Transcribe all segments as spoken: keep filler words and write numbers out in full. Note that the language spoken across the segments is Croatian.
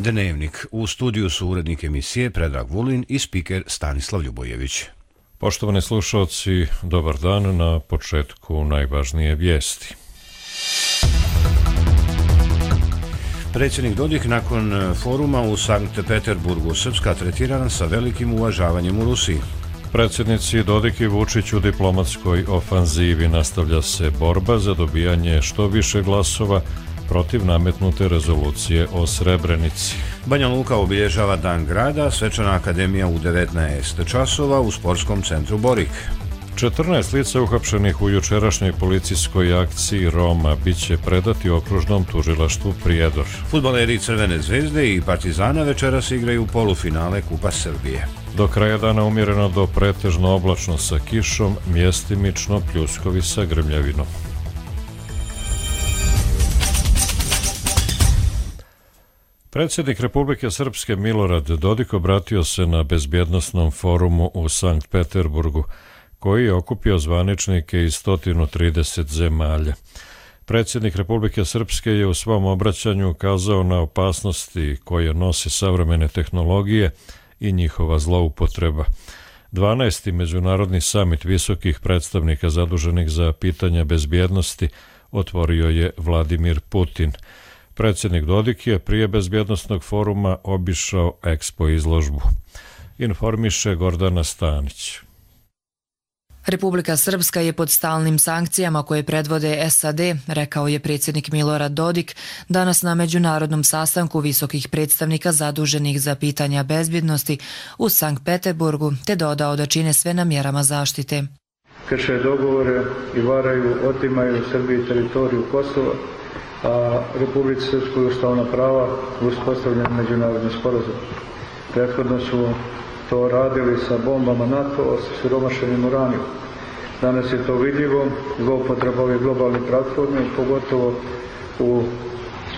Dnevnik. U studiju su urednik emisije Predrag Vulin i spiker Stanislav Ljubojević. Poštovani slušalci, dobar dan. Na početku najvažnije vijesti. Predsjednik Dodik nakon foruma u Sankt Peterburgu Srpska tretirana sa velikim uvažavanjem u Rusiji. Predsjednici Dodik i Vučić u diplomatskoj ofanzivi. Nastavlja se borba za dobijanje što više glasova protiv nametnute rezolucije o Srebrenici. Banja Luka obilježava Dan grada, svečana akademija u devetnaest časova u sportskom centru Borik. četrnaest lica uhapšenih u jučerašnjoj policijskoj akciji Roma biće predati okružnom tužilaštvu Prijedor. Fudbaleri Crvene zvezde i Partizana večeras igraju polufinale Kupa Srbije. Do kraja dana umjereno do pretežno oblačno sa kišom, mjestimično pljuskovi sa grmljavinom. Predsjednik Republike Srpske Milorad Dodik obratio se na bezbjednosnom forumu u Sankt Peterburgu, koji je okupio zvaničnike iz sto trideset zemalja. Predsjednik Republike Srpske je u svom obraćanju ukazao na opasnosti koje nose savremene tehnologije i njihova zloupotreba. dvanaesti međunarodni samit visokih predstavnika zaduženih za pitanja bezbjednosti otvorio je Vladimir Putin. Predsjednik Dodik je prije bezbjednosnog foruma obišao Expo izložbu. Informiše Gordana Stanić. Republika Srpska je pod stalnim sankcijama koje predvode S A D, rekao je predsjednik Milorad Dodik danas na međunarodnom sastanku visokih predstavnika zaduženih za pitanja bezbjednosti u Sankt Peterburgu, te dodao da čine sve na mjerama zaštite. Krše dogovore i varaju, otimaju Srbiji teritoriju Kosova, a Republici Srpskoj ustavna prava uspostavljeni međunarodni sporazum. Prethodno su to radili sa bombama NATO, sa siromašenim uranijom. Danas je to vidljivo, zloupotreba ove globalne platforme, pogotovo u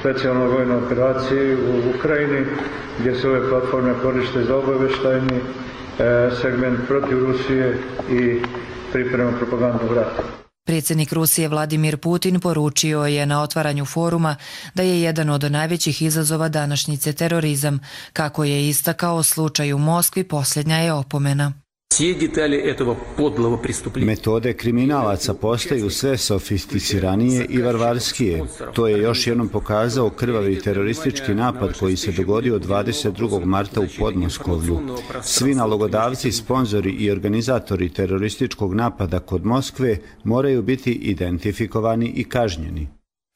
specijalnoj vojnoj operaciji u Ukrajini, gdje se ove platforme koriste za obavještajni e, segment protiv Rusije i priprema propagandnog rata. Predsjednik Rusije Vladimir Putin poručio je na otvaranju foruma da je jedan od najvećih izazova današnjice terorizam. Kako je istakao, slučaj u Moskvi posljednja je opomena. Metode kriminalaca postaju sve sofisticiranije i varvarskije. To je još jednom pokazao krvavi teroristički napad koji se dogodio dvadeset drugog marta u Podmoskovlju. Svi nalogodavci, sponzori i organizatori terorističkog napada kod Moskve moraju biti identifikovani i kažnjeni.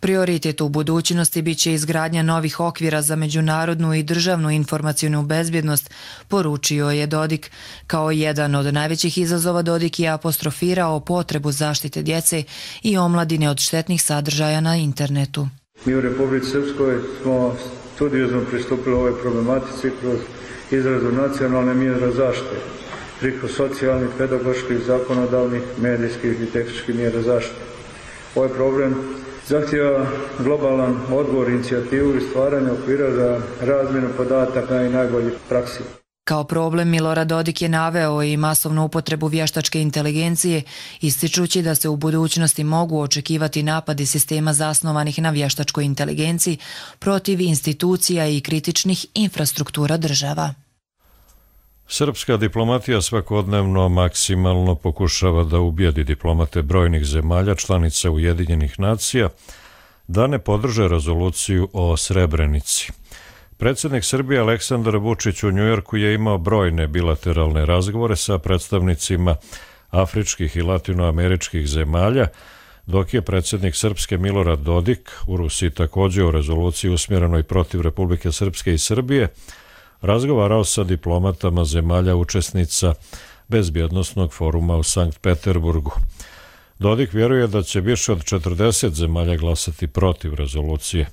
Prioritet u budućnosti bit će izgradnja novih okvira za međunarodnu i državnu informacijnu bezbjednost, poručio je Dodik. Kao jedan od najvećih izazova Dodik je apostrofirao potrebu zaštite djece i omladine od štetnih sadržaja na internetu. Mi u Republici Srpskoj smo studiozno pristupili ovoj problematici kroz izradu nacionalne mjere zaštite, preko socijalnih, pedagoških, zakonodavnih, medijskih i tehničkih mjera zaštite. Ovaj problem zahtjeva globalan odgovor, inicijativu i stvaranje okvira za razmjenu podataka i najboljih praksi. Kao problem Milorad Dodik je naveo i masovnu upotrebu vještačke inteligencije, ističući da se u budućnosti mogu očekivati napadi sistema zasnovanih na vještačkoj inteligenciji protiv institucija i kritičnih infrastruktura država. Srpska diplomatija svakodnevno maksimalno pokušava da ubijedi diplomate brojnih zemalja članica Ujedinjenih nacija da ne podrže rezoluciju o Srebrenici. Predsjednik Srbije Aleksandar Vučić u Njujorku je imao brojne bilateralne razgovore sa predstavnicima afričkih i latinoameričkih zemalja, dok je predsjednik Srpske Milorad Dodik u Rusiji također o rezoluciji usmjerenoj protiv Republike Srpske i Srbije razgovarao sa diplomatama zemalja učesnica bezbjednosnog foruma u Sankt Peterburgu. Dodik vjeruje da će više od četrdeset zemalja glasati protiv rezolucije,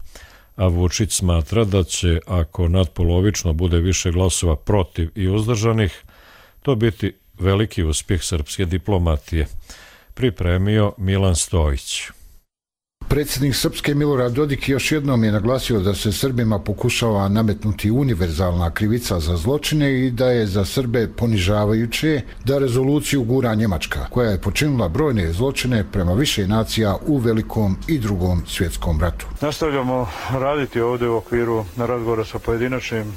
a Vučić smatra da će, ako nadpolovično bude više glasova protiv i uzdržanih, to biti veliki uspjeh srpske diplomatije. Pripremio Milan Stojić. Predsjednik Srpske Milorad Dodik još jednom je naglasio da se Srbima pokušava nametnuti univerzalna krivica za zločine i da je za Srbe ponižavajuće da rezoluciju gura Njemačka, koja je počinila brojne zločine prema više nacija u Velikom i Drugom svjetskom ratu. Nastavljamo raditi ovdje u okviru na razgovora sa pojedinačnim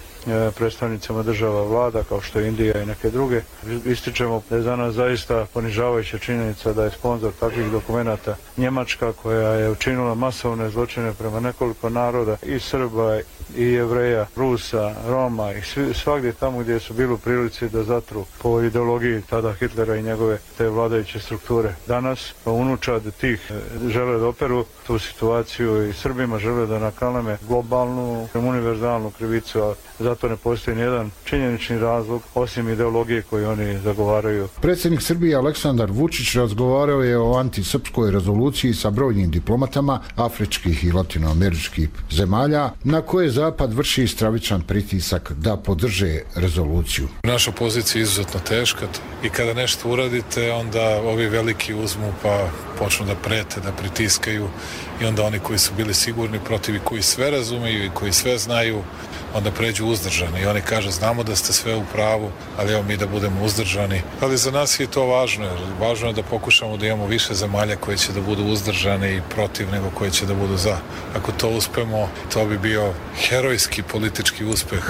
predstavnicama država vlada kao što je Indija i neke druge. Ističemo da je za nas zaista ponižavajuća činjenica da je sponzor takvih dokumenata Njemačka, koja je učinila masovne zločine prema nekoliko naroda, i Srba i Jevreja, Rusa, Roma i svi, svagdje tamo gdje su bili u prilici da zatru po ideologiji tada Hitlera i njegove te vladajuće strukture. Danas unučad tih žele da operu tu situaciju i Srbima žele da nakaleme globalnu, univerzalnu krivicu, a zato ne postoji nijedan činjenični razlog osim ideologije koju oni zagovaraju. Predsjednik Srbije Aleksandar Vučić razgovarao je o antisrpskoj rezoluciji sa brojnim diplomatama afričkih i latinoameričkih zemalja na koje Zapad vrši stravičan pritisak da podrže rezoluciju. Naša pozicija je izuzetno teška i kada nešto uradite, onda ovi veliki uzmu pa počnu da prete, da pritiskaju i onda oni koji su bili sigurni protiv i koji sve razumeju i koji sve znaju, onda pređu uzdržani i oni kažu znamo da ste sve u pravu, ali evo mi da budemo uzdržani. Ali za nas je to važno, jer važno je da pokušamo da imamo više zemalja koje će da budu uzdržane i protiv nego koje će da budu za. Ako to uspemo, to bi bio herojski politički uspeh.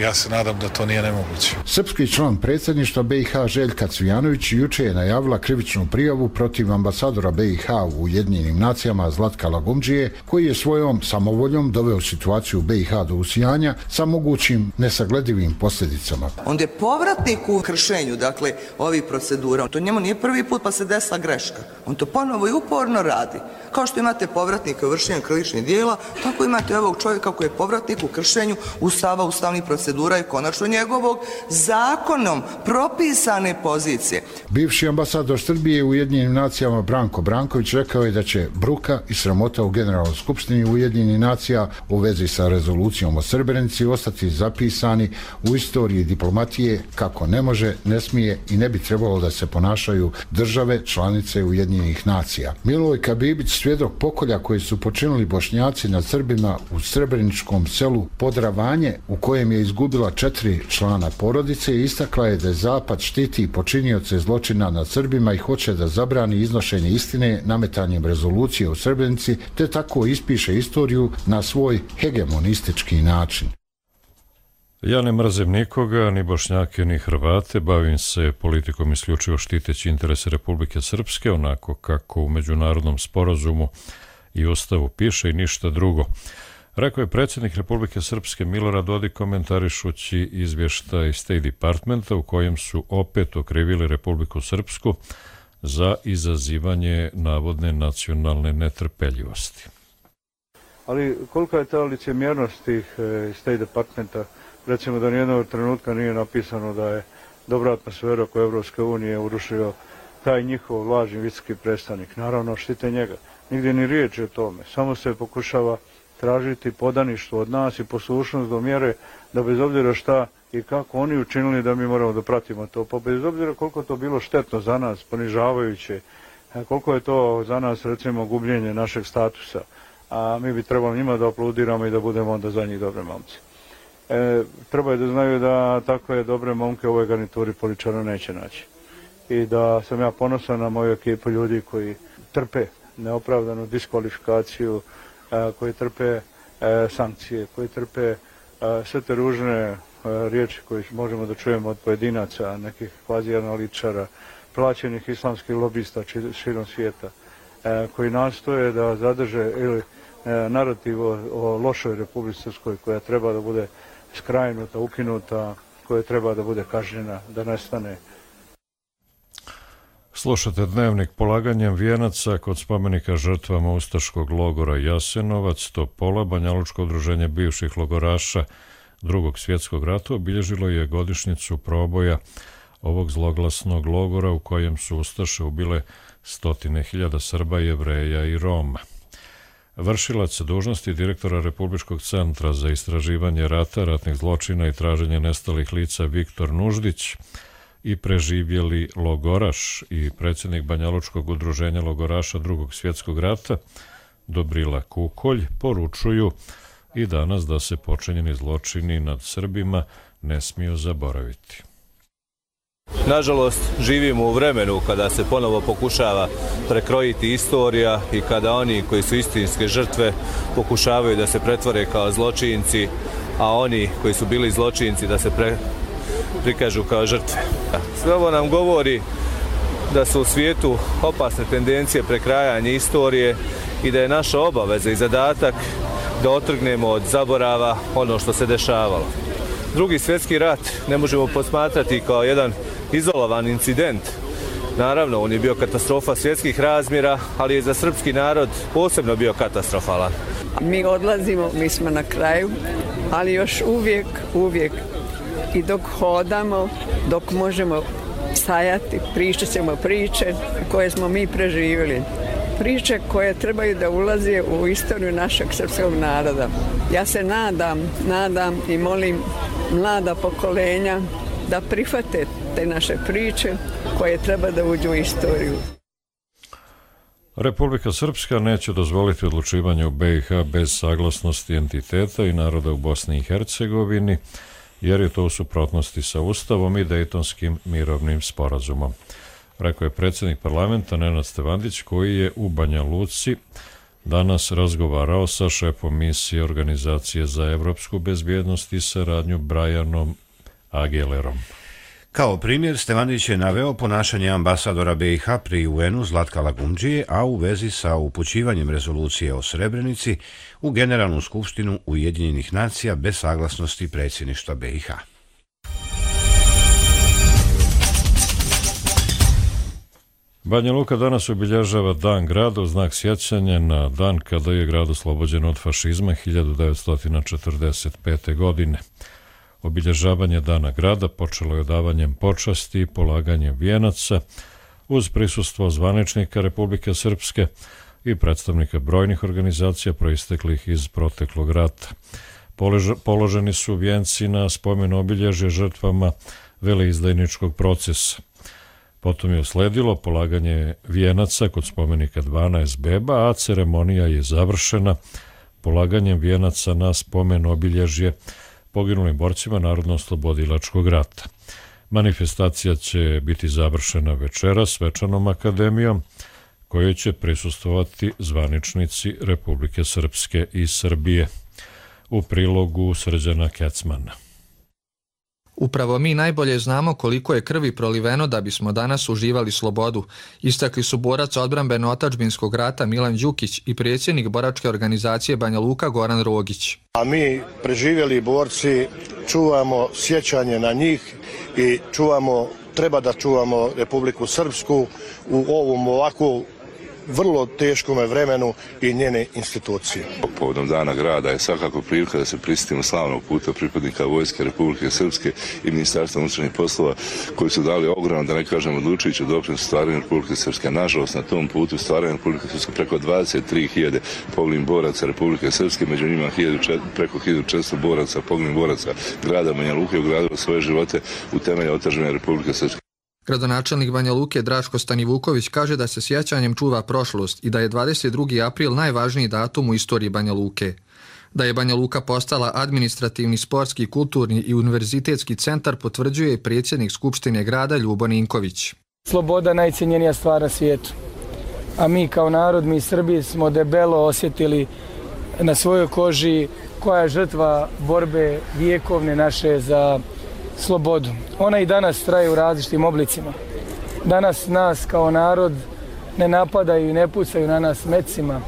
Ja se nadam da to nije nemoguće. Srpski član predsjedništva B i H Željka Cvijanović juče je najavila krivičnu prijavu protiv ambasadora B i H u Ujedinjenim nacijama Zlatka Lagumdžije, koji je svojom samovoljom doveo situaciju B i H do usijanja sa mogućim nesagledivim posljedicama. Onda je povratnik u kršenju, dakle, ovih procedura. To njemu nije prvi put pa se desila greška. On to ponovo i uporno radi. Kao što imate povratnika u vršenju krivičnih dijela, tako imate ovog čovjeka koji je povratnik u kršenju ustava, ustavnih procedura i konačno njegovog zakonom propisane pozicije. Bivši ambasador Srbije u Ujedinjenim nacijama Branko Branković rekao je da će bruka i sramota u Generalnoj skupštini Ujedinjenih nacija u vezi sa rezolucijom o Srebrenici ostati zapisani u istoriji diplomatije kako ne može, ne smije i ne bi trebalo da se ponašaju države članice Ujedinjenih nacija. Milojka Bibić, svjedok pokolja koji su počinili Bošnjaci nad Srbima u srebreničkom selu Podravanje, u kojem je izgubila četiri člana porodice, istakla je da Zapad štiti počinioce zločina nad Srbima i hoće da zabrani iznošenje istine nametanjem rezolucije o Srebrenici, te tako ispiše istoriju na svoj hegemonistički način. Ja ne mrzim nikoga, ni Bošnjake, ni Hrvate, bavim se politikom isključivo štiteći interese Republike Srpske, onako kako u međunarodnom sporazumu i ustavu piše i ništa drugo. Rekao je predsjednik Republike Srpske Milorad Dodik komentarišući izvještaj State Departmenta u kojem su opet okrivili Republiku Srpsku za izazivanje navodne nacionalne netrpeljivosti. Ali kolika je ta licemjernost tih State Departmenta? Recimo da nijednog trenutka nije napisano da je dobra atmosfera oko Evropske unije urušio taj njihov lažni visoki predstavnik. Naravno, štite njega. Nigdje ni riječi o tome. Samo se pokušava tražiti podaništvo od nas i poslušnost do mjere da bez obzira šta i kako oni učinili da mi moramo da pratimo to. Pa bez obzira koliko to bilo štetno za nas, ponižavajuće, koliko je to za nas recimo gubljenje našeg statusa, a mi bi trebali njima da aplaudiramo i da budemo onda za njih dobre momci. E, treba je da znaju da takve dobre momke u ovoj garnituri političara neće naći. I da sam ja ponosan na moju ekipu ljudi koji trpe neopravdanu diskvalifikaciju, e, koji trpe e, sankcije, koji trpe e, sve te ružne e, riječi koje možemo da čujemo od pojedinaca, nekih kvazi analitičara, plaćenih islamskih lobista širom svijeta, e, koji nastoje da zadrže ili e, narativ o, o lošoj Republici Srpskoj koja treba da bude skrajnuta, ukinuta, koja treba da bude kažnjena, da nestane. Slušate Dnevnik. Polaganjem vijenaca kod spomenika žrtvama ustaškog logora Jasenovac, Topola, Banjalučko udruženje bivših logoraša Drugog svjetskog rata obilježilo je godišnjicu proboja ovog zloglasnog logora u kojem su ustaše ubile stotine hiljada Srba, Jevreja i Roma. Vršilac dužnosti direktora Republičkog centra za istraživanje rata, ratnih zločina i traženje nestalih lica Viktor Nuždić i preživjeli logoraš i predsjednik Banjalučkog udruženja logoraša Drugog svjetskog rata Dobrila Kukolj poručuju i danas da se počinjeni zločini nad Srbima ne smiju zaboraviti. Nažalost, živimo u vremenu kada se ponovo pokušava prekrojiti istorija i kada oni koji su istinske žrtve pokušavaju da se pretvore kao zločinci, a oni koji su bili zločinci da se pre, prikažu kao žrtve. Sve ovo nam govori da su u svijetu opasne tendencije prekrajanja istorije i da je naša obaveza i zadatak da otrgnemo od zaborava ono što se dešavalo. Drugi svjetski rat ne možemo posmatrati kao jedan izolovan incident. Naravno, on je bio katastrofa svjetskih razmjera, ali je za srpski narod posebno bio katastrofalan. Mi odlazimo, mi smo na kraju, ali još uvijek, uvijek i dok hodamo, dok možemo stajati, pričat ćemo priče koje smo mi preživjeli. Priče koje trebaju da ulaze u istoriju našeg srpskog naroda. Ja se nadam, nadam i molim mlada pokolenja da prihvate te naše priče koje treba da uđu u istoriju. Republika Srpska neće dozvoliti odlučivanje u B i H bez saglasnosti entiteta i naroda u Bosni i Hercegovini, jer je to u suprotnosti sa Ustavom i Dejtonskim mirovnim sporazumom. Rekao je predsjednik parlamenta Nenad Stevandić, koji je u Banja Luci danas razgovarao sa šefom misije Organizacije za evropsku bezbjednost i saradnju Brianom Agelerom. Kao primjer, Stevandić je naveo ponašanje ambasadora B i H pri U N-u Zlatka Lagumdžije, a u vezi sa upućivanjem rezolucije o Srebrenici u Generalnu skupštinu Ujedinjenih nacija bez saglasnosti predsjedništva B i H. Banja Luka danas obilježava Dan grada u znak sjećanja na dan kada je grad oslobođen od fašizma hiljadu devetsto četrdeset pete. godine. Obilježavanje Dana grada počelo je odavanjem počasti i polaganjem vijenaca uz prisustvo zvaničnika Republike Srpske i predstavnika brojnih organizacija proisteklih iz proteklog rata. Položeni su vijenci na spomen obilježje žrtvama veleizdajničkog procesa. Potom je usledilo polaganje vijenaca kod spomenika dvanaest beba, a ceremonija je završena polaganjem vijenaca na spomen obilježje poginulim borcima Narodno-oslobodilačkog rata. Manifestacija će biti završena večeras svečanom akademijom, kojoj će prisustvovati zvaničnici Republike Srpske i Srbije. U prilogu Srđana Kecmana. Upravo mi najbolje znamo koliko je krvi proliveno da bismo danas uživali slobodu, istakli su borac odbrambeno-otadžbinskog rata Milan Đukić i predsjednik boračke organizacije Banja Luka Goran Rogić. A mi, preživjeli borci, čuvamo sjećanje na njih i čuvamo, treba da čuvamo Republiku Srpsku u ovom ovako vrlo teškom vremenu i njene institucije. Povodom Dana grada je svakako prilika da se prisjetimo slavnog puta pripadnika Vojske Republike Srpske i Ministarstva unutrašnjih poslova koji su dali ogroman, da ne kažem odlučujući doprinos stvaranju Republike Srpske. Nažalost, na tom putu stvaranju Republike Srpske preko dvadeset tri hiljade poginulih boraca Republike Srpske, među njima preko hiljadu četiristo boraca, poginulih boraca grada Banja Luke ugradilo svoje živote u temelje otadžbine Republike Srpske. Gradonačelnik Banja Luke Draško Stanivuković kaže da se sjećanjem čuva prošlost i da je dvadeset drugi april najvažniji datum u istoriji Banja Luke. Da je Banja Luka postala administrativni, sportski, kulturni i univerzitetski centar potvrđuje i predsjednik Skupštine grada Ljubo Ninković. Sloboda najcijenjenija stvar na svijetu. A mi kao narod, mi Srbi smo debelo osjetili na svojoj koži koja je žrtva borbe vijekovne naše za slobodu. Ona i danas traje u različitim oblicima. Danas nas kao narod ne napadaju i ne pucaju na nas mecima,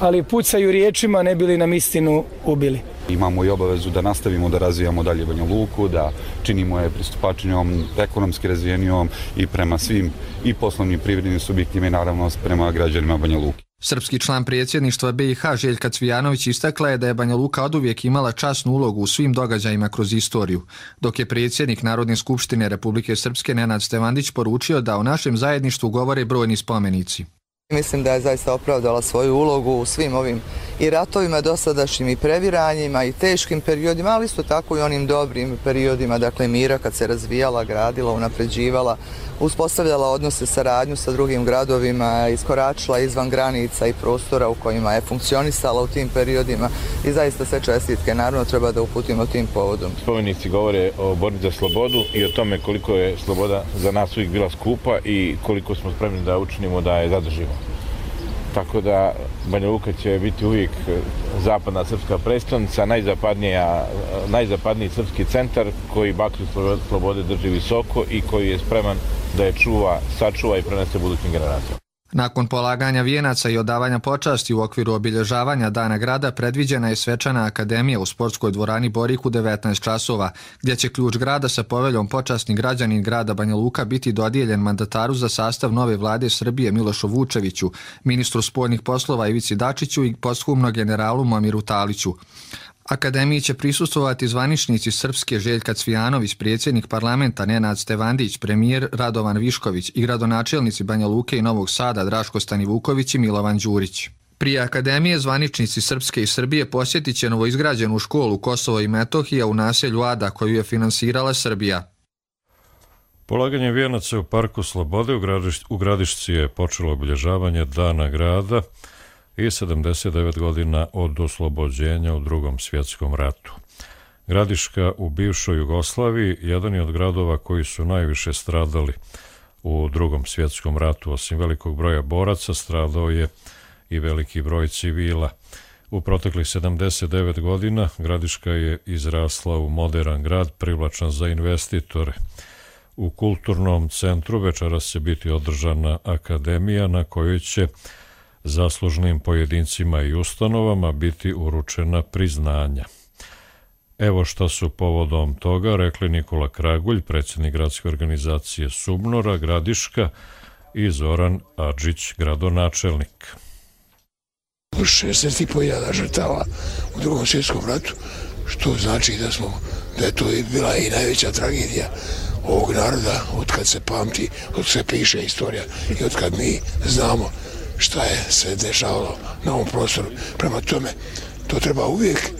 ali pucaju riječima ne bili nam istinu ubili. Imamo i obavezu da nastavimo da razvijamo dalje Banja Luku, da činimo je pristupačnijom, ekonomski razvijenijom i prema svim i poslovnim privrednim subjektima i naravno prema građanima Banja Luke. Srpski član predsjedništva B i H Željka Cvijanović istakla je da je Banja Luka oduvijek imala časnu ulogu u svim događajima kroz istoriju, dok je predsjednik Narodne skupštine Republike Srpske Nenad Stevandić poručio da o našem zajedništvu govore brojni spomenici. Mislim da je zaista opravdala svoju ulogu u svim ovim i ratovima dosadašnjim i previranjima i teškim periodima, ali isto tako i onim dobrim periodima, dakle mira kad se razvijala, gradila, unapređivala, uspostavljala odnose, saradnju sa drugim gradovima, iskoračila izvan granica i prostora u kojima je funkcionisala u tim periodima i zaista sve čestitke naravno treba da uputimo tim povodom. Spomenici govore o borbi za slobodu i o tome koliko je sloboda za nas uvijek bila skupa i koliko smo spremni da učinimo da je zadržimo. Tako da Banja Luka će biti uvijek zapadna srpska predstavnica, najzapadnija, najzapadniji srpski centar koji baklju slobode drži visoko i koji je spreman da je čuva, sačuva i prenese budućim generacijama. Nakon polaganja vijenaca i odavanja počasti u okviru obilježavanja Dana grada predviđena je svečana akademija u sportskoj dvorani Borik u devetnaest časova, gdje će ključ grada sa poveljom počasni građanin grada Banja Luka biti dodijeljen mandataru za sastav nove vlade Srbije Milošu Vučeviću, ministru spoljnih poslova Ivici Dačiću i posthumno generalu Momiru Taliću. Akademiji će prisustvovati zvaničnici Srpske Željka Cvijanović, predsjednik parlamenta Nenad Stevandić, premijer Radovan Višković i gradonačelnici Banja Luke i Novog Sada Draško Stanivuković i Milovan Đurić. Prije akademije zvaničnici Srpske i Srbije posjetit će novoizgrađenu školu Kosovo i Metohija u naselju Ada koju je finansirala Srbija. Polaganje vijenaca u Parku Slobode u, gradiš, u Gradišci je počelo obilježavanje Dana grada i sedamdeset devet godina od oslobođenja u Drugom svjetskom ratu. Gradiška u bivšoj Jugoslaviji jedan je od gradova koji su najviše stradali u Drugom svjetskom ratu. Osim velikog broja boraca, stradao je i veliki broj civila. U proteklih sedamdeset devet godina Gradiška je izrasla u moderan grad, privlačan za investitore. U kulturnom centru večeras će biti održana akademija na kojoj će zaslužnim pojedincima i ustanovama biti uručena priznanja. Evo šta su povodom toga rekli Nikola Kragulj, predsjednik gradske organizacije Subnora, Gradiška, i Zoran Adžić, gradonačelnik. šezdeset i po hiljada žrtava u Drugom svjetskom ratu, što znači da smo, da je to bila i najveća tragedija ovog naroda od kad se pamti, od kad se piše istorija i od kad mi znamo šta je se dešavalo na ovom prostoru. Prema tome, to treba uvijek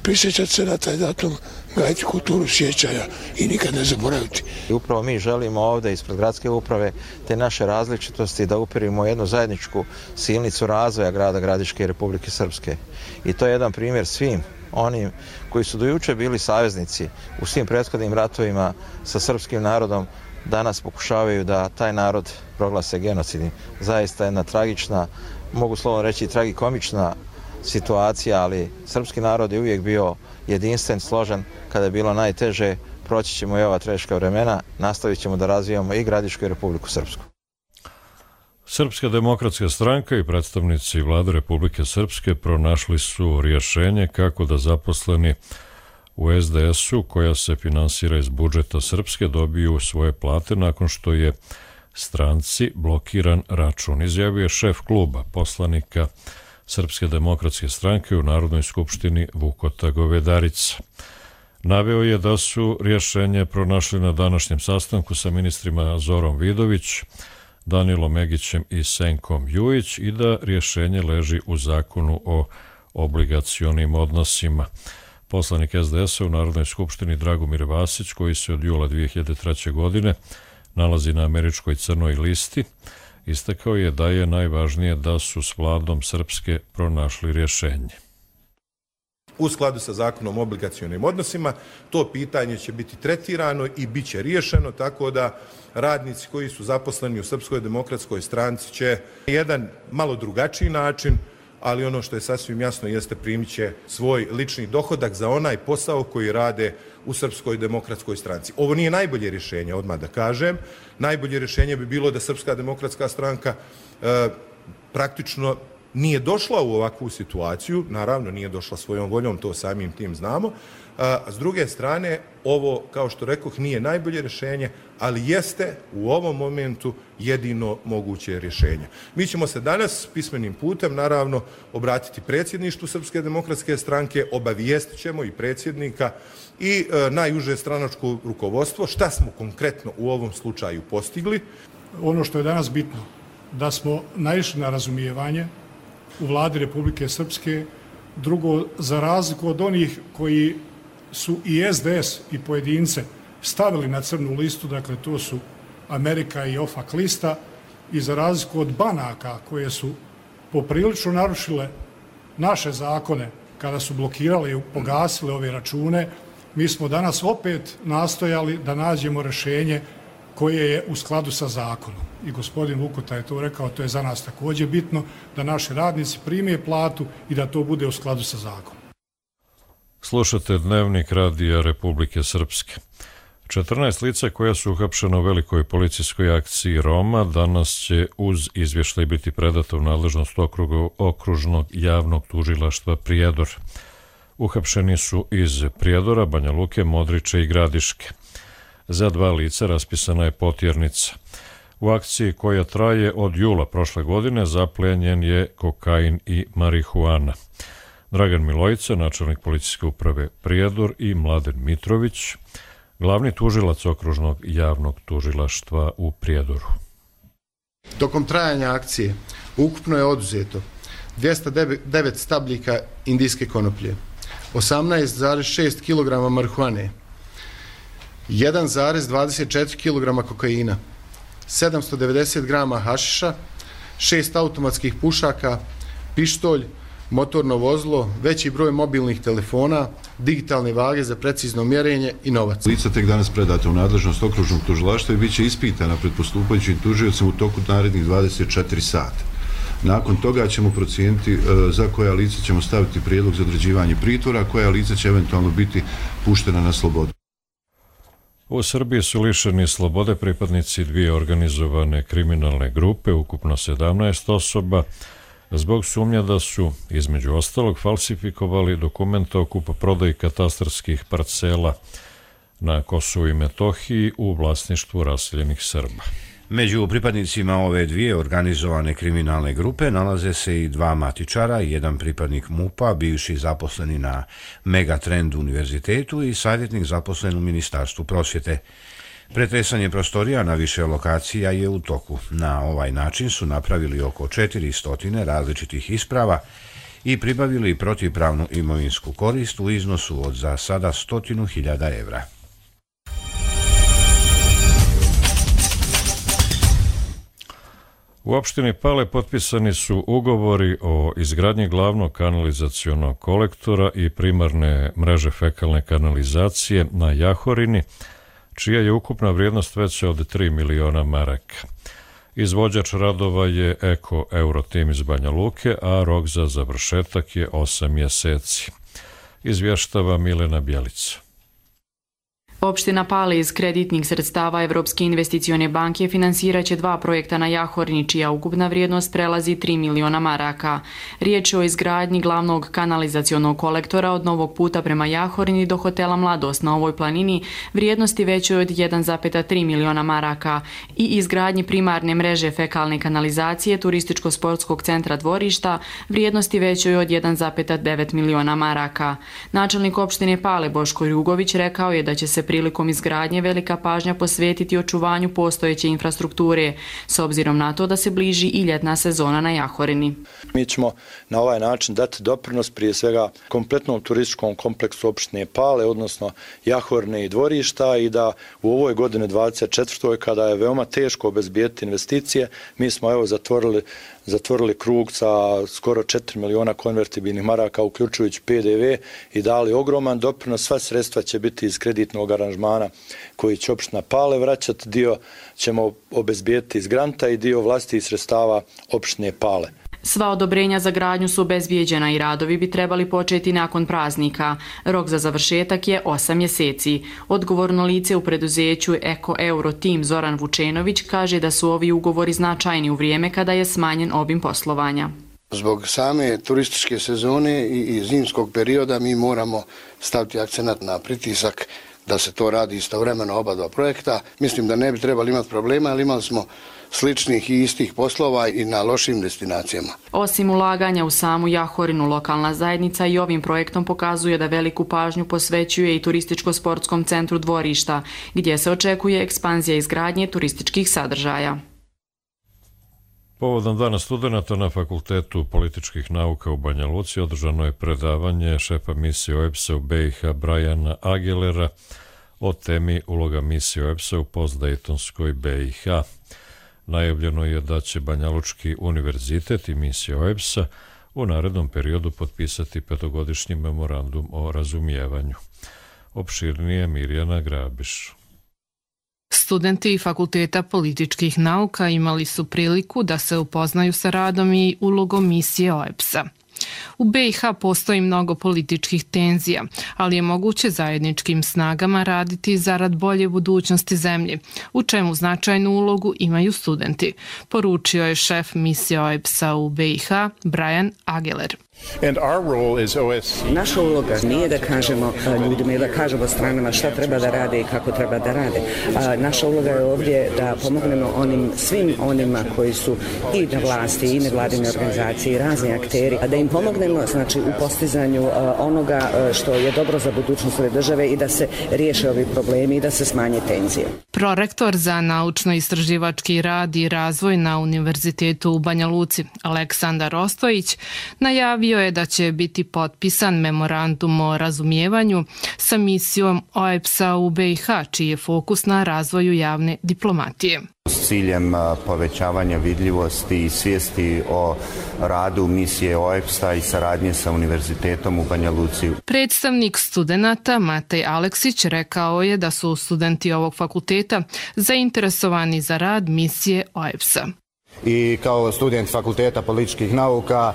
prisjećati se na taj datum, gajiti kulturu sjećanja i nikad ne zaboraviti. I upravo mi želimo ovdje ispred gradske uprave te naše različitosti da upirimo jednu zajedničku silnicu razvoja grada Gradiške i Republike Srpske. I to je jedan primjer svim onim koji su do juče bili saveznici u svim prethodnim ratovima sa srpskim narodom, danas pokušavaju da taj narod proglase genocidnim. Zaista jedna tragična, mogu slovno reći tragikomična situacija, ali srpski narod je uvijek bio jedinstven, složen. Kada je bilo najteže, proći ćemo i ova teška vremena, nastavit ćemo da razvijamo i Gradišku i Republiku Srpsku. Srpska demokratska stranka i predstavnici vlade Republike Srpske pronašli su rješenje kako da zaposleni u es de esu, koja se finansira iz budžeta Srpske, dobiju svoje plate nakon što je stranci blokiran račun, izjavio je šef kluba poslanika Srpske demokratske stranke u Narodnoj skupštini Vukota Govedarica. Naveo je da su rješenje pronašli na današnjem sastanku sa ministrima Zorom Vidović, Danilom Megićem i Senkom Jujić i da rješenje leži u zakonu o obligacionim odnosima. Poslanik es de esa u Narodnoj skupštini Dragomir Vasić, koji se od jula dvije hiljade treće. godine nalazi na američkoj crnoj listi, istakao je da je najvažnije da su s vladom Srpske pronašli rješenje. U skladu sa zakonom o obligacionim odnosima, to pitanje će biti tretirano i bit će riješeno, tako da radnici koji su zaposleni u Srpskoj demokratskoj stranci će jedan malo drugačiji način, ali ono što je sasvim jasno jeste primit će svoj lični dohodak za onaj posao koji rade u Srpskoj demokratskoj stranci. Ovo nije najbolje rješenje, odmah da kažem. Najbolje rješenje bi bilo da Srpska demokratska stranka e, praktično nije došla u ovakvu situaciju, naravno nije došla svojom voljom, to samim tim znamo. A s druge strane, ovo, kao što rekoh, nije najbolje rješenje, ali jeste u ovom momentu jedino moguće rješenje. Mi ćemo se danas pismenim putem, naravno, obratiti predsjedništvu Srpske demokratske stranke, obavijestit ćemo i predsjednika i e, najuže stranačko rukovodstvo šta smo konkretno u ovom slučaju postigli. Ono što je danas bitno, da smo naišli na razumijevanje u vladi Republike Srpske. Drugo, za razliku od onih koji su i es de es i pojedince stavili na crnu listu, dakle to su Amerika i OFAC lista, i za razliku od banaka koje su poprilično narušile naše zakone kada su blokirale i pogasile ove račune, mi smo danas opet nastojali da nađemo rješenje koje je u skladu sa zakonom. I gospodin Vukota je to rekao, to je za nas također bitno, da naši radnici prime platu i da to bude u skladu sa zakonom. Slušate Dnevnik Radija Republike Srpske. četrnaest lica koja su uhapšena u velikoj policijskoj akciji Roma danas će uz izvještaj biti predato u nadležnost okrugu, okružnog javnog tužilaštva Prijedor. Uhapšeni su iz Prijedora, Banja Luke, Modrića i Gradiške. Za dva lica raspisana je potjernica. U akciji koja traje od jula prošle godine zaplijenjen je kokain i marihuana. Dragan Milojica, načelnik policijske uprave Prijedor, i Mladen Mitrović, glavni tužilac okružnog javnog tužilaštva u Prijedoru. Tokom trajanja akcije ukupno je oduzeto dvjesto devet stabljika indijske konoplje, osamnaest zarez šest kilograma marihuane, jedan zarez dvadeset četiri kilograma kokaina, sedamsto devedeset grama hašiša, šest automatskih pušaka, pištolj, motorno vozilo, veći broj mobilnih telefona, digitalne vage za precizno mjerenje i novac. Lica tek danas predata u nadležnost okružnog tužilaštva i bit će ispitana pred postupajućim tužiocem u toku narednih dvadeset četiri sata. Nakon toga ćemo procijeniti za koja lica ćemo staviti prijedlog za određivanje pritvora, a koja lica će eventualno biti puštena na slobodu. U Srbiji su lišeni slobode pripadnici dvije organizovane kriminalne grupe, ukupno sedamnaest osoba, zbog sumnja da su, između ostalog, falsifikovali dokumente o kupoprodaji katastarskih parcela na Kosovu i Metohiji u vlasništvu raseljenih Srba. Među pripadnicima ove dvije organizovane kriminalne grupe nalaze se i dva matičara, jedan pripadnik MUP-a, bivši zaposleni na Megatrend univerzitetu i savjetnik zaposlen u Ministarstvu prosvjete. Pretresanje prostorija na više lokacija je u toku. Na ovaj način su napravili oko četiristo različitih isprava i pribavili protivpravnu imovinsku korist u iznosu od za sada stotinu hiljada evra. U opštini Pale potpisani su ugovori o izgradnji glavnog kanalizacionog kolektora i primarne mreže fekalne kanalizacije na Jahorini, čija je ukupna vrijednost veća od tri miliona maraka. Izvođač radova je Eko Eurotim iz Banja Luke, a rok za završetak je osam mjeseci. Izvještava Milena Bjelica. Opština Pale iz kreditnih sredstava Evropske investicione banke finansirat će dva projekta na Jahorini, čija ukupna vrijednost prelazi tri miliona maraka. Riječ je o izgradnji glavnog kanalizacionog kolektora od Novog puta prema Jahorini do hotela Mladost na ovoj planini, vrijednosti većoj od jedan zarez tri miliona maraka, i izgradnji primarne mreže fekalne kanalizacije turističko-sportskog centra Dvorišta, vrijednosti većoj od jedan zarez devet miliona maraka. Načelnik opštine Pale Boško Jugović rekao je da će se prilikom izgradnje velika pažnja posvetiti očuvanju postojeće infrastrukture, s obzirom na to da se bliži i ljetna sezona na Jahorini. Mi ćemo na ovaj način dati doprinos prije svega kompletnom turističkom kompleksu opštine Pale, odnosno Jahorine i Dvorišta, i da u ovoj godini dvadeset četvrtoj kada je veoma teško obezbijediti investicije, mi smo evo zatvorili zatvorili krug sa skoro četiri miliona konvertibilnih maraka, uključujući pe de ve, i dali ogroman doprinos. Sva sredstva će biti iz kreditnog aranžmana koji će opština Pale vraćati, dio ćemo obezbijediti iz granta i dio vlastitih sredstava opštine Pale. Sva odobrenja za gradnju su obezbijeđena i radovi bi trebali početi nakon praznika. Rok za završetak je osam mjeseci. Odgovorno lice u preduzeću Eko Eurotim Zoran Vučenović kaže da su ovi ugovori značajni u vrijeme kada je smanjen obim poslovanja. Zbog same turističke sezone i zimskog perioda mi moramo staviti akcenat na pritisak da se to radi istovremeno oba dva projekta. Mislim da ne bi trebali imati problema, ali imali smo sličnih i istih poslova i na lošim destinacijama. Osim ulaganja u samu Jahorinu, lokalna zajednica i ovim projektom pokazuje da veliku pažnju posvećuje i turističko-sportskom centru Dvorišta, gdje se očekuje ekspanzija izgradnje turističkih sadržaja. Povodom Dana studenata na Fakultetu političkih nauka u Banja Luci održano je predavanje šefa misije O E B S-a u B i H Briana Aguilera o temi uloga misije O E B S-a u postdejtonskoj B i H. Najavljeno je da će Banjalučki univerzitet i misija O E B S-a u narednom periodu potpisati petogodišnji memorandum o razumijevanju. Opširnije Mirjana Grabiš. Studenti Fakulteta političkih nauka imali su priliku da se upoznaju sa radom i ulogom misije O E B S-a. U B i H postoji mnogo političkih tenzija, ali je moguće zajedničkim snagama raditi zarad bolje budućnosti zemlje, u čemu značajnu ulogu imaju studenti, poručio je šef misije O E B S-a u B i H Brian Aguiler. Naša uloga nije da kažemo ljudima ili da kažemo stranama šta treba da rade i kako treba da rade. Naša uloga je ovdje da pomognemo onim, svim onima koji su i na vlasti i nevladine organizacije i razni akteri, da im pomognemo znači, u postizanju onoga što je dobro za budućnost ove države i da se riješe ovi problemi i da se smanje tenzije. Prorektor za naučno-istraživački rad i razvoj na Univerzitetu u Banja Luci, Aleksandar Ostojić, najavio je da će biti potpisan memorandum o razumijevanju sa misijom O E B S-a u B i H, čiji je fokus na razvoju javne diplomatije. S ciljem povećavanja vidljivosti i svijesti o radu misije O E B S-a i saradnje sa Univerzitetom u Banja Luci. Predstavnik studenata Matej Aleksić rekao je da su studenti ovog fakulteta zainteresovani za rad misije O E B S-a. I kao student Fakulteta političkih nauka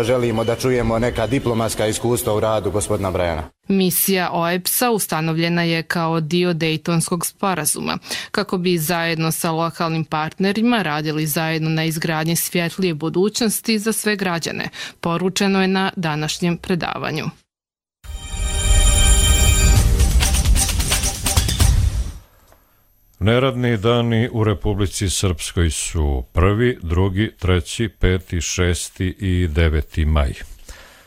želimo da čujemo neka diplomatska iskustva u radu gospodina Brajana. Misija O E B S-a ustanovljena je kao dio Dejtonskog sporazuma, kako bi zajedno sa lokalnim partnerima radili zajedno na izgradnji svjetlije budućnosti za sve građane, poručeno je na današnjem predavanju. Neradni dani u Republici Srpskoj su prvi, drugi, treći, peti, šesti i deveti maj.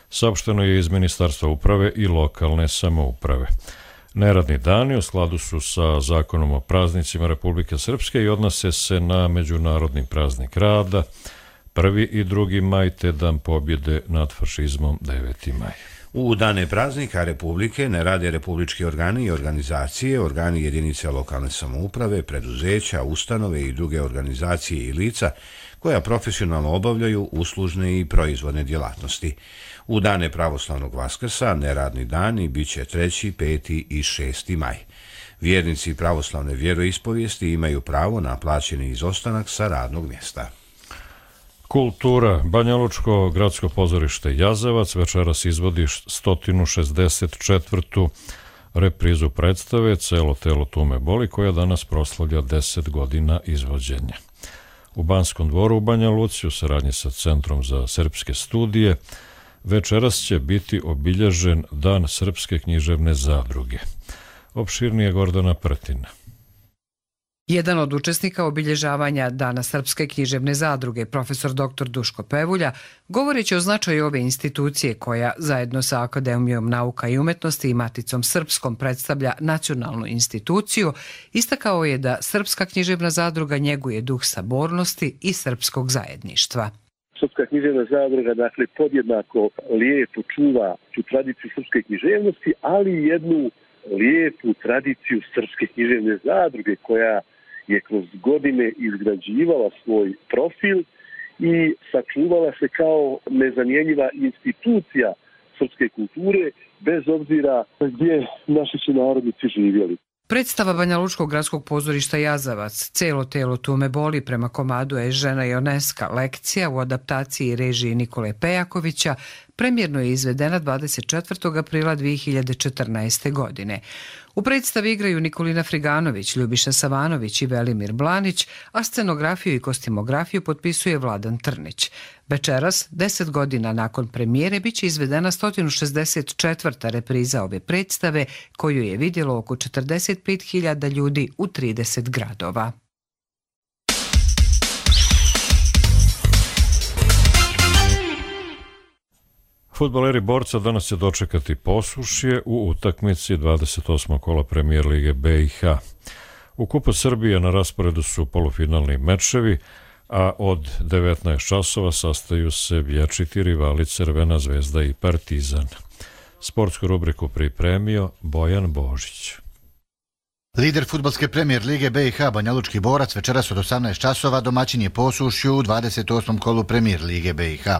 Saopšteno je iz Ministarstva uprave i lokalne samouprave. Neradni dani u skladu su sa Zakonom o praznicima Republike Srpske i odnose se na Međunarodni praznik rada, prvi i drugi maj, te Dan pobjede nad fašizmom, deveti maj. U dane praznika Republike ne rade republički organi i organizacije, organi jedinice lokalne samouprave, preduzeća, ustanove i druge organizacije i lica koja profesionalno obavljaju uslužne i proizvodne djelatnosti. U dane pravoslavnog Vaskrsa neradni dani bit će treći, peti i šesti maj. Vjernici pravoslavne vjeroispovijesti imaju pravo na plaćeni izostanak sa radnog mjesta. Kultura. Banjalučko gradsko pozorište Jazavac večeras izvodi sto šezdeset četvrtu reprizu predstave Celo telo tume boli, koja danas proslavlja deset godina izvođenja. U Banskom dvoru u Banja Luci u saradnji sa Centrom za srpske studije večeras će biti obilježen Dan Srpske književne zadruge. Opširnije Gordana Prtina. Jedan od učesnika obilježavanja Dana Srpske književne zadruge, profesor doktor Duško Pevulja, govoreći o značaju ove institucije koja, zajedno sa Akademijom nauka i umetnosti i Maticom Srpskom, predstavlja nacionalnu instituciju, istakao je da Srpska književna zadruga njeguje duh sabornosti i srpskog zajedništva. Srpska književna zadruga, dakle, podjednako lijepo čuva tu tradiciju srpske književnosti, ali i jednu lijepu tradiciju Srpske književne zadruge koja je kroz godine izgrađivala svoj profil i sačuvala se kao nezamjenjiva institucija srpske kulture, bez obzira gdje naši su narodnici živjeli. Predstava Banjalučkog gradskog pozorišta Jazavac, Celo telo tume boli prema komadu Je žena Joneska, lekcija u adaptaciji režiji Nikole Pejakovića, premjerno je izvedena dvadeset četvrtog aprila dvije hiljade četrnaeste. godine. U predstavi igraju Nikolina Friganović, Ljubiša Savanović i Velimir Blanić, a scenografiju i kostimografiju potpisuje Vladan Trnić. Večeras, deset godina nakon premijere, bit će izvedena sto šezdeset četvrta repriza ove predstave, koju je vidjelo oko četrdeset pet hiljada ljudi u trideset gradova. Fudbaleri Borca danas će dočekati Posušje u utakmici dvadeset osmog kola Premijer lige B i H. U Kupu Srbije na rasporedu su polufinalni mečevi, a od devetnaest časova sastaju se vječiti rivali Crvena zvezda i Partizan. Sportsku rubriku pripremio Bojan Božić. Lider fudbalske premijer lige B i H Banjalučki Borac večeras od osamnaest časova domaćin je Posušju u dvadeset osmom kolu premijer lige B i H.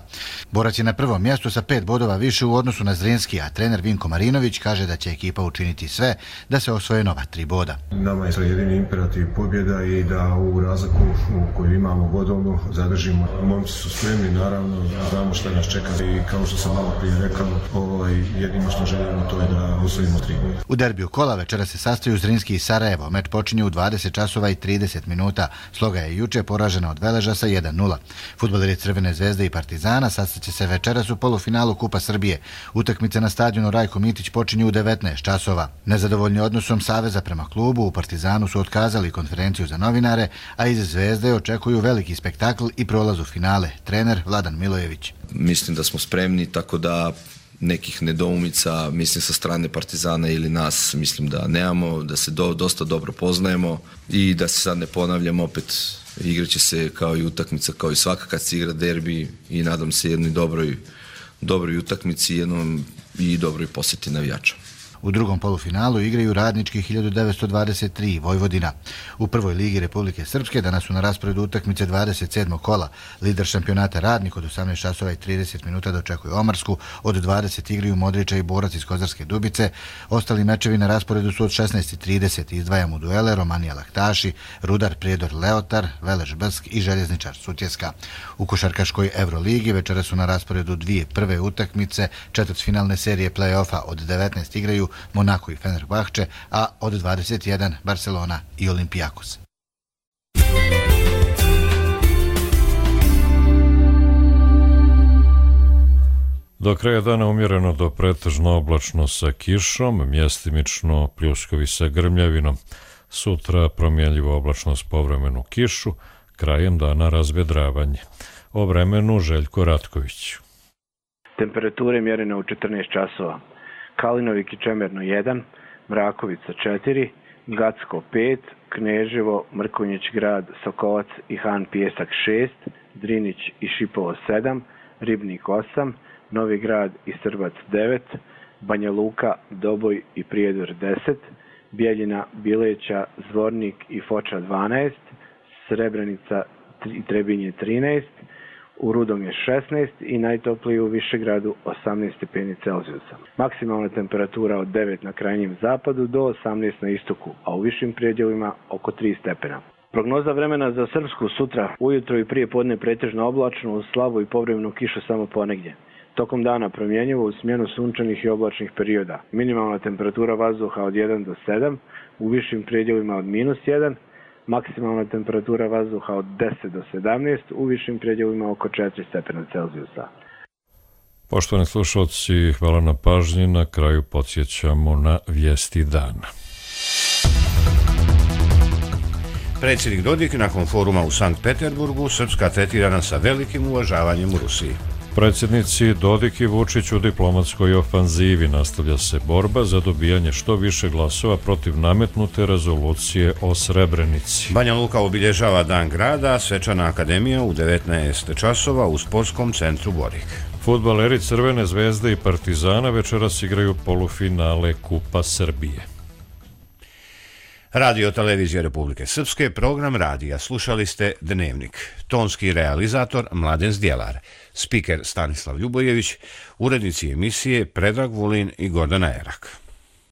Borac je na prvom mjestu sa pet bodova više u odnosu na Zrinski, a trener Vinko Marinović kaže da će ekipa učiniti sve da se osvoje nova tri boda. Nama je jedini imperativ pobjeda i da u razliku koju imamo bodovnu zadržimo. Momci su spremni, naravno, znamo šta nas čeka i kao što sam malo prije rekao, ovaj, jedino što želimo to je da osvojimo tri boda. U derbiju kola večeras se sastaju Zrinski i Sarajevo. Meč počinje u dvadeset časova i trideset minuta. Sloga je juče poražena od Veleža sa jedan nula. Fudbaleri Crvene zvezde i Partizana sastaće se večeras u polufinalu Kupa Srbije. Utakmice na stadionu Rajko Mitić počinju u devetnaest časova. Nezadovoljni odnosom Saveza prema klubu, u Partizanu su otkazali konferenciju za novinare, a iz Zvezde očekuju veliki spektakl i prolaz u finale. Trener Vladan Milojević. Mislim da smo spremni, tako da nekih nedoumica, mislim sa strane Partizana ili nas, mislim da nemamo, da se do, dosta dobro poznajemo i da se sad ne ponavljamo, opet igraće se kao i utakmica, kao i svaka kad se igra derbi i nadam se jednoj dobroj, dobroj utakmici jednom i dobroj posjeti navijača. U drugom polufinalu igraju Radnički hiljadu devetsto dvadeset tri Vojvodina. U prvoj ligi Republike Srpske danas su na rasporedu utakmice dvadeset sedmog kola. Lider šampionata Radnik od osamnaest časova i trideset minuta dočekuje Omarsku, od dvadeset igraju Modrića i Borac iz Kozarske Dubice. Ostali mečevi na rasporedu su od šesnaest i trideset. Izdvajamo duele Romanija Laktaši, Rudar Prijedor Leotar, Velež Brsk i Željezničar Sutjeska. U košarkaškoj Euroligi večera su na rasporedu dvije prve utakmice četvrtfinalne serije play-offa. Od devetnaest igraju Monako i Fenerbahče, a od dvadeset jedan Barcelona i Olimpijakos. Do kraja dana umjereno do pretežno oblačno sa kišom, mjestimično pljuskovi sa grmljavinom. Sutra promjenljivo oblačno s povremenu kišu, krajem dana razvedravanje. O vremenu Željko Ratković. Temperature mjerene u četrnaest časova. Kalinovik i Čemerno jedan, Mrakovica četiri, Gacko pet, Kneževo, Mrkonjić grad, Sokovac i Han Pijesak šest, Drinić i Šipovo sedam, Ribnik osam, Novi grad i Srbac devet, Banja Luka, Doboj i Prijedor deset, Bijeljina, Bileća, Zvornik i Foča dvanaest, Srebrenica i Trebinje trinaest, u Rudom je šesnaest i najtopliji u Višegradu osamnaest stepeni Celzijusa. Maksimalna temperatura od devet na krajnjem zapadu do osamnaest na istoku, a u višim predjelima oko tri stepena. Prognoza vremena za Srpsku sutra, ujutro i prije podne pretežno oblačno, uz slabu i povremenu kišu samo ponegdje. Tokom dana promjenjivo u smjenu sunčanih i oblačnih perioda. Minimalna temperatura vazduha od jedan do sedam, u višim predjelima od minus jedan, maksimalna temperatura vazduha od deset do sedamnaest, u višim predjelima oko četiri stepena Celzijusa. Poštovani slušalci, hvala na pažnji. Na kraju podsjećamo na vijesti dana. Predsjednik Dodik nakon foruma u Sankt Peterburgu, Srpska tretirana sa velikim uvažavanjem u Rusiji. Predsjednici Dodik i Vučić u diplomatskoj ofanzivi. Nastavlja se borba za dobijanje što više glasova protiv nametnute rezolucije o Srebrenici. Banja Luka obilježava Dan grada, svečana akademija u devetnaest časova u sportskom centru Borik. Fudbaleri Crvene zvezde i Partizana večeras igraju polufinale Kupa Srbije. Radio Televizija Republike Srpske, program radija. Slušali ste Dnevnik. Tonski realizator Mladen Zdjelar. Spiker Stanislav Ljubojević. Urednici emisije Predrag Vulin i Gordana Erak.